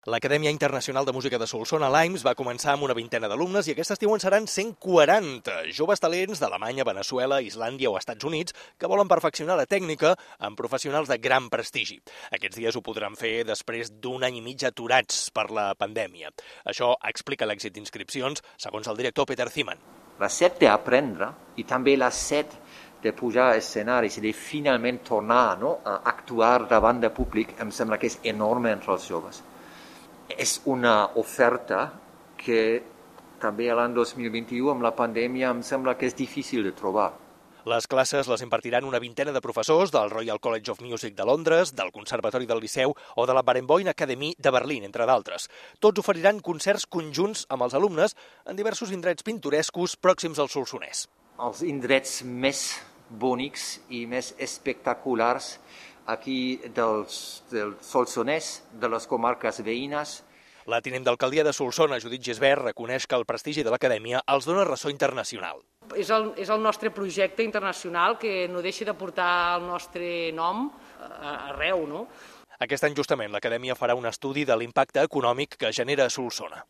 L'Acadèmia Internacional de Música de Solsona, l'AIMS, va començar amb una vintena d'alumnes i aquest estiu en seran 140 joves talents d'Alemanya, Veneçuela, Islàndia o Estats Units que volen perfeccionar la tècnica amb professionals de gran prestigi. Aquests dies ho podran fer després d'un any i mig aturats per la pandèmia. Això explica l'èxit d'inscripcions, segons el director Peter Ziman. La set d'aprendre i també la set de pujar a escenaris i de finalment tornar a actuar davant de públic em sembla que és enorme entre els joves. És una oferta que també l'any 2021 amb la pandèmia em sembla que és difícil de trobar. Les classes les impartiran una vintena de professors del Royal College of Music de Londres, del Conservatori del Liceu o de la Barenboim Academy de Berlín, entre d'altres. Tots oferiran concerts conjunts amb els alumnes en diversos indrets pintorescos pròxims al Solsonès. Els indrets més bonics i més espectaculars aquí del Solsonès, de les comarques veïnes. La tinent d'alcaldia de Solsona, Judit Gisbert, reconeix que el prestigi de l'acadèmia els dona ressò internacional. És el nostre projecte internacional que no deixa de portar el nostre nom arreu, no? Aquest any justament l'acadèmia farà un estudi de l'impacte econòmic que genera a Solsona.